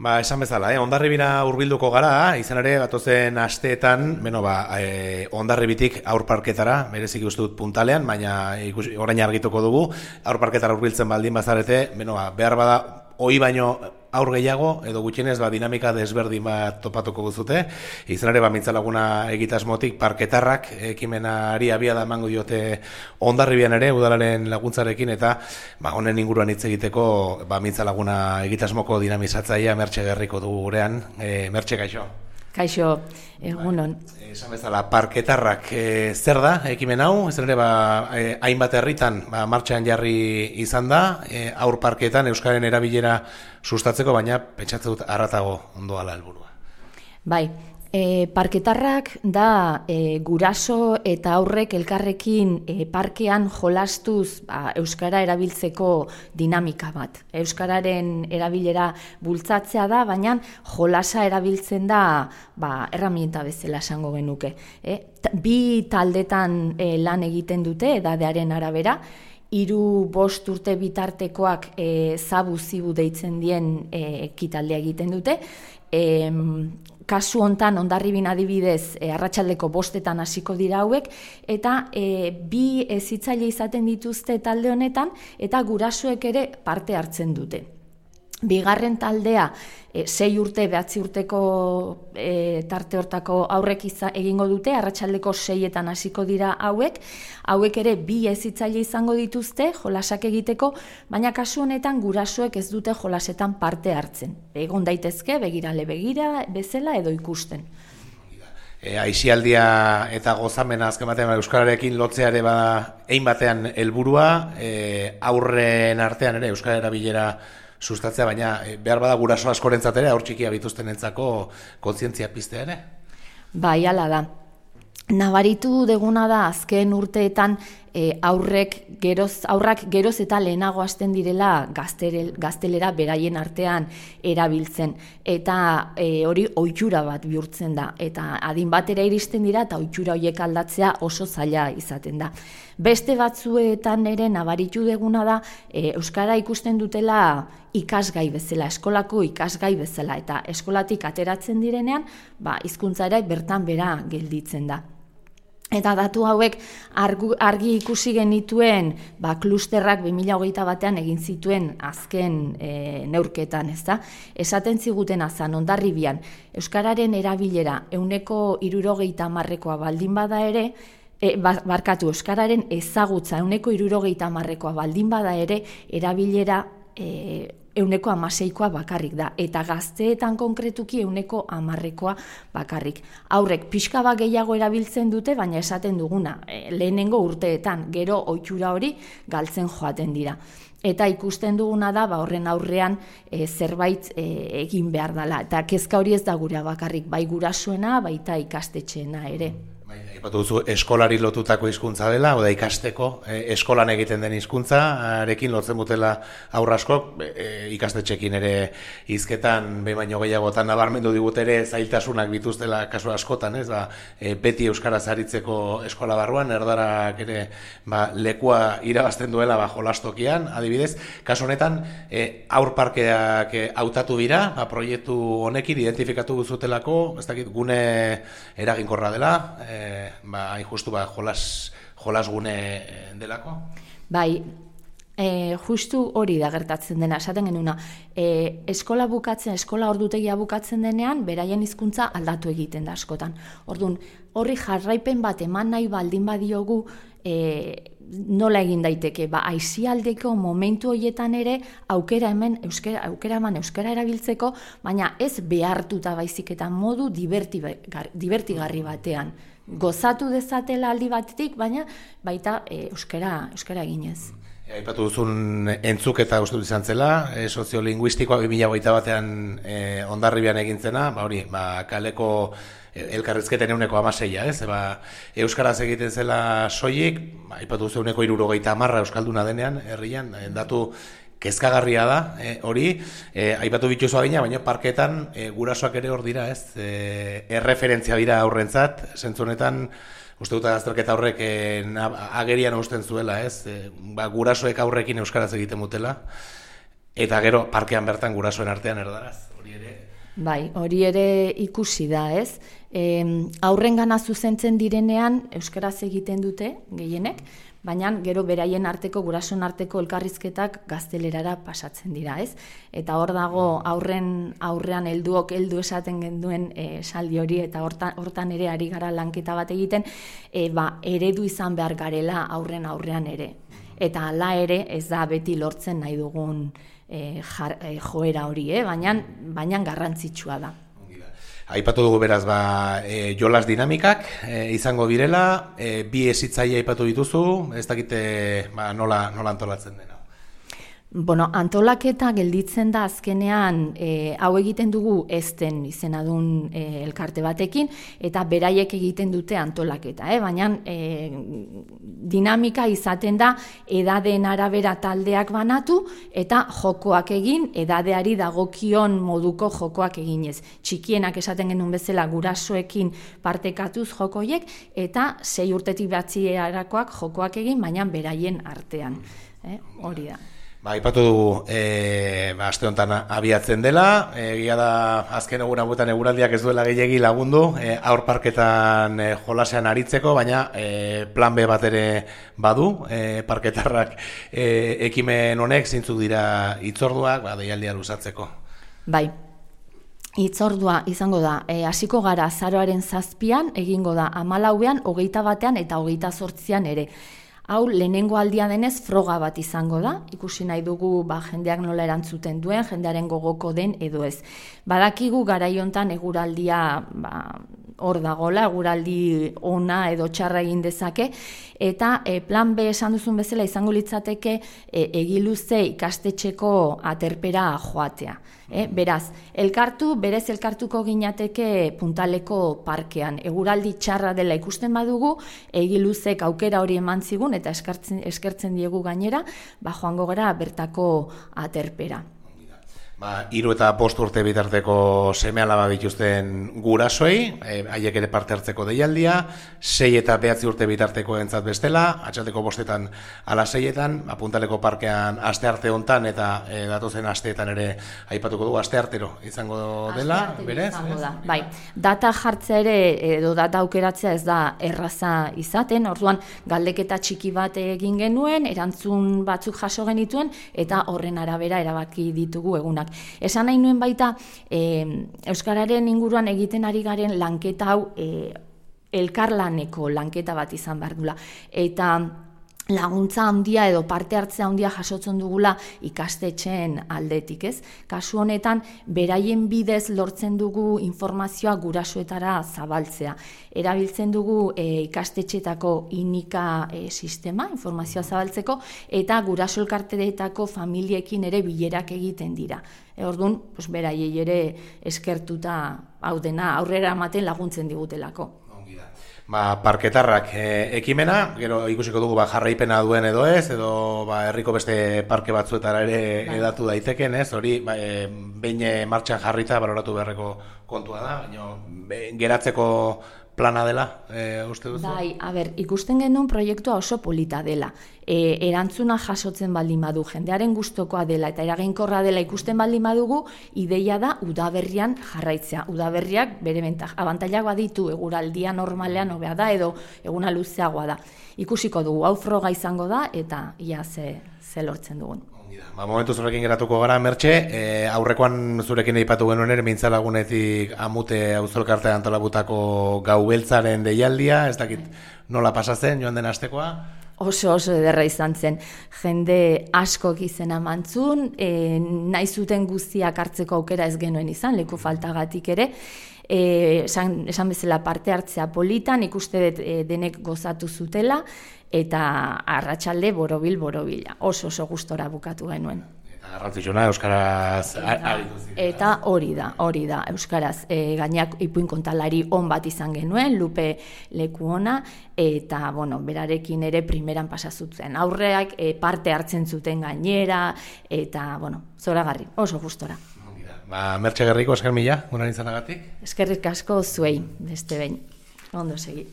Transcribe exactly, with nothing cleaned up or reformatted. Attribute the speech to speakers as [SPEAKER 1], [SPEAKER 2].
[SPEAKER 1] Ba, esan bezala, eh? Hondarribira hurbilduko gara, izan ere, batozen asteetan, beno, ba, eh, Hondarribitik aurparketara, berezik uste dut puntalean, baina ikusi, orain argituko dugu, aurparketara hurbiltzen baldin bazarete, beno, ba, behar bada, hoi baino aur gehiago, edo gutxienez, ba, dinamika desberdin bat topatuko guzute, izan ere, ba, mintzalaguna egitasmotik parketarrak ekimenari abia da emango diote Hondarribian ere, udalaren laguntzarekin, eta ba, honen inguruan hitz egiteko, ba, mintzalaguna egitasmoko dinamizatzaia Mertxe Gerriko dugu gurean, e, Mertxe, kaixo.
[SPEAKER 2] Kaixo, egunon.
[SPEAKER 1] Ba, esan bezala, parketarrak e, zer da, ekimen hau, ez ere, ba, e, hainbat herritan ba, martxan jarri izan da, e, aur parketan Euskararen erabilera sustatzeko, baina pentsatzen dut arratago ondoala helburua.
[SPEAKER 2] Bai, e, parketarrak da e, guraso eta aurrek elkarrekin e, parkean jolastuz ba, Euskara erabiltzeko dinamika bat. Euskararen erabilera bultzatzea da, baina jolasa erabiltzen da ba, erramienta bezala esango genuke. E, bi taldetan e, lan egiten dute, edadearen arabera, hiru bost urte bitartekoak e, zabu zibu deitzen dien e, ekitaldea egiten dute. E, kasu hontan Hondarribin adibidez e, arratsaldeko bostetan hasiko dira hauek, eta e, bi hezitzaile izaten dituzte talde honetan, eta gurasoek ere parte hartzen dute. Bigarren taldea, e, sei urte, behatzi urteko e, tarte hortako aurrek iza, egingo dute, arratsaldeko seietan hasiko dira hauek, hauek ere bi hezitzaile izango dituzte jolasak egiteko, baina kasu honetan gurasoek ez dute jolasetan parte hartzen. Egon daitezke, begirale begira, bezala edo ikusten.
[SPEAKER 1] E, Aisialdia eta gozamena azken batean Euskararekin lotzea ere bada ein batean helburua, e, aurren artean ere Euskara erabilera sustatzea, baina behar bada guraso askorentzat ere, aur txikia bituztenentzako kontzientzia piztea ere?
[SPEAKER 2] Bai, hala da. Nabaritu deguna da azken urteetan e, aurrek geroz, aurrak geroz eta lehenago hasten direla gaztere, gaztelera beraien artean erabiltzen. Eta e, hori ohitura bat bihurtzen da. Eta adin batera iristen dira eta ohitura horiek aldatzea oso zaila izaten da. Beste batzuetan ere nabaritu deguna da e, Euskara ikusten dutela ikasgai bezala, eskolako ikasgai bezala, eta eskolatik ateratzen direnean, ba, hizkuntza ere bertan bera gelditzen da. Eta datu hauek argu, argi ikusi genituen ba, klusterrak bi mila hogeita batean egin zituen azken e, neurketan, ez da? Esaten ziguten azan, Hondarribian, Euskararen erabilera ehuneko hirurogeita hamarrekoa baldin bada ere, e, barkatu, Euskararen ezagutza ehuneko hirurogeita hamarrekoa baldin bada ere, erabilera e, ehuneko hamaseikoa bakarrik da, eta gazteetan konkretuki ehuneko hamarrekoa bakarrik. Aurrek pixka bat gehiago erabiltzen dute, baina esaten duguna, e, lehenengo urteetan, gero ohitura hori galtzen joaten dira. Eta ikusten duguna da, ba, horren aurrean e, zerbait e, egin behar dela. Eta kezka hori ez da gura bakarrik, bai gurasoena, baita ikastetxeena ere.
[SPEAKER 1] Aipatu duzu eskolari lotutako hizkuntza dela, oda ikasteko e, eskolan egiten den hizkuntzarekin lotzen dutela aurra askok, e, ikastetxekin ere hizketan behin baino gehiagotan nabarmendu digut ere zailtasunak bituztela kasu askotan, ez? Ba, e, beti euskaraz aritzeko eskola barruan, erdarak ere ba, lekua irabazten duela ba, jolastokian, adibidez, kasu honetan e, aur parkeak e, hautatu dira, ba, proiektu honekin identifikatu duzutelako, ez dakit gune eraginkorra dela, e, ba, hain justu ba, jolas, jolas gune delako?
[SPEAKER 2] Bai, e, justu hori da gertatzen dena, esaten genuna, e, eskola bukatzen, eskola ordutegia bukatzen denean, beraien hizkuntza aldatu egiten da askotan. Orduan, horri jarraipen bat eman nahi baldin badiogu, e, nola egin daiteke, ba, aisialdeko momentu horietan ere aukera hemen euskera, aukera eman euskara erabiltzeko, baina ez behartuta baizik eta modu divertigarri, divertigarri batean. Gozatu dezatela aldi batetik, baina baita e, euskara, euskara eginez.
[SPEAKER 1] Aipatu duzun entzuketa uste dut izan zela, e, soziolinguistikoa bi mila hogeita batean e, Hondarribian egintzena, ba hori, ba, kaleko elkarrizketen euneko amaseia, ez? Ba, euskaraz egiten zela soilik, ba, aipatu duzu euneko hirurogeita hamarra euskalduna denean, herrian, datu kezkagarria da, e, hori, e, aipatu bituzu adina, baina parketan e, gurasoak ere hor dira, ez? E, erreferentzia dira aurrentzat, zentzu honetan, uste dut azterketa horrek e, agerian usten zuela, ez? E, ba, gurasoek aurrekin euskaraz egiten mutela, eta gero parkean bertan gurasoen artean erdaraz.
[SPEAKER 2] Bai, hori ere ikusi da, ez? E, aurrengana zuzentzen direnean euskaraz egiten dute gehienek, baina gero beraien arteko, gurasoen arteko elkarrizketak gaztelerara pasatzen dira, ez? Eta hor dago aurren aurrean helduok heldu esaten genduen esaldi hori, eta hortan, hortan ere ari gara lanketa bat egiten, e, ba, eredu izan behar garela aurren aurrean ere. Eta hala ere ez da beti lortzen nahi dugun E, jar, e, joera hori, eh? baina, baina garrantzitsua da.
[SPEAKER 1] Aipatu dugu beraz, ba, e, jolas dinamikak e, izango direla, e, bi hezitzaile aipatu dituzu, ez dakite ba, nola, nola antolatzen dena.
[SPEAKER 2] Bueno, antolaketa gelditzen da azkenean e, hau egiten dugu ezten izenadun e, elkarte batekin, eta beraiek egiten dute antolaketa, eh? baina e, dinamika izaten da edadeen arabera taldeak banatu eta jokoak egin, edadeari dagokion moduko jokoak eginez. Txikienak esaten genuen bezala gurasoekin partekatuz jokoiek, eta sei urtetik batzierakoak jokoak egin, baina beraien artean. Eh? Hori da.
[SPEAKER 1] Ba, ipatu dugu, e, ba, aste honetan abiatzen dela, egia da azken egun hauetan eguraldiak ez duela gehiegi lagundu, e, aur parketan e, jolasean aritzeko, baina e, plan B bat ere badu, e, parketarrak e, ekimen honek zeintzuk dira hitzorduak, ba, deialdia luzatzeko.
[SPEAKER 2] Bai. Hitzordua izango da, e, hasiko gara azaroaren zazpian, egingo da hamalauean, hogeita batean eta hogeita zortzian ere. Hau, lehenengo aldia denez froga bat izango da, ikusi nahi dugu ba, jendeak nola erantzuten duen, jendearen gogoko den edo ez. Badakigu garaiontan eguraldia ba, hor dagola, eguraldi ona edo txarra egin dezake, eta e, plan B esan duzun bezala izango litzateke e, egiluze ikastetxeko aterpera joatea. E, beraz, elkartu, berez elkartuko ginateke Puntaleko parkean. Eguraldi txarra dela ikusten badugu, egiluzek aukera hori eman zigun, eta eskertzen, eskertzen diegu gainera, ba joango gara bertako aterpera.
[SPEAKER 1] Ba, hiru eta bost urte bitarteko seme-alaba bituzten gurasoei, e, haiek ere parte hartzeko deialdia, sei eta behatzi urte bitarteko entzat bestela, atxaldeko bostetan ala seietan, Puntaleko parkean aste arte hontan eta e, datozen asteetan ere aipatuko dugu, aste artero izango dela, berez?
[SPEAKER 2] Izango da. Bai, data jartzea ere, edo data aukeratzea ez da erraza izaten, orduan galdeketa txiki bat egin genuen, erantzun batzuk jaso genituen, eta horren arabera erabaki ditugu egunak. Esan nahi nuen baita, e, euskararen inguruan egiten ari garen lanketa hau e, elkarlaneko lanketa bat izan behar dula. Eta laguntza handia edo parte hartzea handia jasotzen dugula ikastetxeen aldetik, ez? Kasu honetan, beraien bidez lortzen dugu informazioa gurasoetara zabaltzea. Erabiltzen dugu e, ikastetxeetako inika e, sistema, informazioa zabaltzeko, eta guraso elkarteetako familiekin ere bilerak egiten dira. E, orduan, pues, beraiei ere eskertuta hau dena aurrera ematen laguntzen digutelako.
[SPEAKER 1] Ba, parketarrak e, ekimena, gero ikusiko dugu ba, jarraipena duen edo ez, edo ba, herriko beste parke batzuetara ere bai. Edatu daiteken, ez? Hori, ba, e, behin martxan jarrita baloratu beharreko kontua da, baina geratzeko plana dela, e, uste duzu?
[SPEAKER 2] Bai, a ber, ikusten genuen proiektua oso polita dela. E, erantzuna jasotzen baldin badu, jendearen gustokoa dela eta eraginkorra dela ikusten baldin badugu, ideia da udaberrian jarraitzea. Udaberriak bere abantailak baditu, eguraldia normalean hobea da edo eguna luzeagoa da. Ikusiko dugu, hau froga izango da eta ia ze, ze lortzen dugun.
[SPEAKER 1] Ba, momentu zurekin geratuko gara, Mertxe, e, aurrekoan zurekin eipatu genuen ere, mintzalagunetik amute auzolkartean antolabutako gau beltzaren deialdia, ez dakit nola pasatzen joan den astekoa?
[SPEAKER 2] Oso oso ederra izan zen, jende askok izena mantzun, e, nahi zuten guztiak hartzeko aukera ez genuen izan, leku faltagatik ere, e, esan, esan bezala parte hartzea politan, ikuste dut e, denek gozatu zutela, eta arratsalde borobil borobila, oso oso gustora bukatu genuen.
[SPEAKER 1] Eta garrantzitsuna euskaraz
[SPEAKER 2] aritu ziren. Eta hori da, hori da, euskaraz e, gainak ipuin kontalari on bat izan genuen, Lupe leku ona, eta bueno, berarekin ere primeran pasa zuten. Aurreak e, parte hartzen zuten gainera, eta bueno, zoragarri, oso gustora.
[SPEAKER 1] Ba, Mertxe Gerriko, esker mila, guran izanagatik.
[SPEAKER 2] Eskerrik asko zuei, beste behin. Ondo segi.